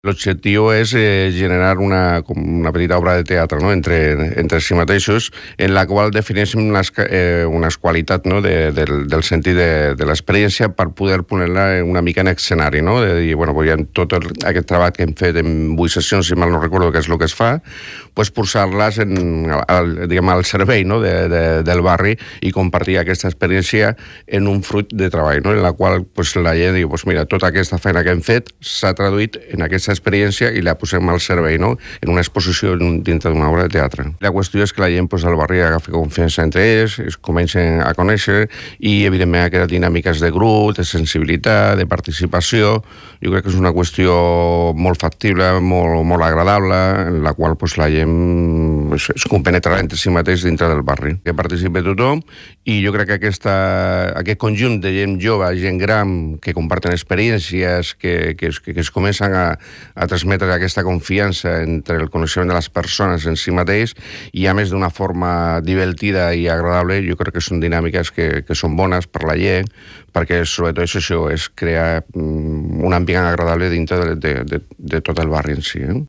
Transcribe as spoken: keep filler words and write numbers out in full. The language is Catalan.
L'objectiu és eh, generar una, com una petita obra de teatre, no? entre, entre si mateixos, en la qual defineixen unes, eh, unes qualitats, no? de, del, del sentit de, de l'experiència per poder poner-la una mica en escenari, no? De dir, bueno, pues ja tot el, aquest treball que hem fet en vuit sessions, si mal no recordo que és el que es fa, pues posar-les en, al, diguem, al servei, no? de, de, del barri i compartir aquesta experiència en un fruit de treball, no? En la qual pues, la gent diu, pues mira, tota aquesta feina que hem fet s'ha traduït en aquesta experiència i la posem al servei, no? En una exposició dintre d'una obra de teatre. La qüestió és que la gent pues, al barri agafi confiança entre ells, es comencen a conèixer i, evidentment, aquestes dinàmiques de grup, de sensibilitat, de participació, jo crec que és una qüestió molt factible, molt, molt agradable, en la qual pues, la gent es, es compenetrarà entre si mateix dintre del barri. Que participi tothom i jo crec que aquesta, aquest conjunt de gent jove, gent gran, que comparten experiències, que, que, es, que es comencen a a transmetre aquesta confiança entre el coneixement de les persones en si mateix i a més d'una forma divertida i agradable, jo crec que són dinàmiques que, que són bones per la gent, perquè sobretot és això, és crear un ambient agradable dintre de, de, de, de tot el barri en si. Eh?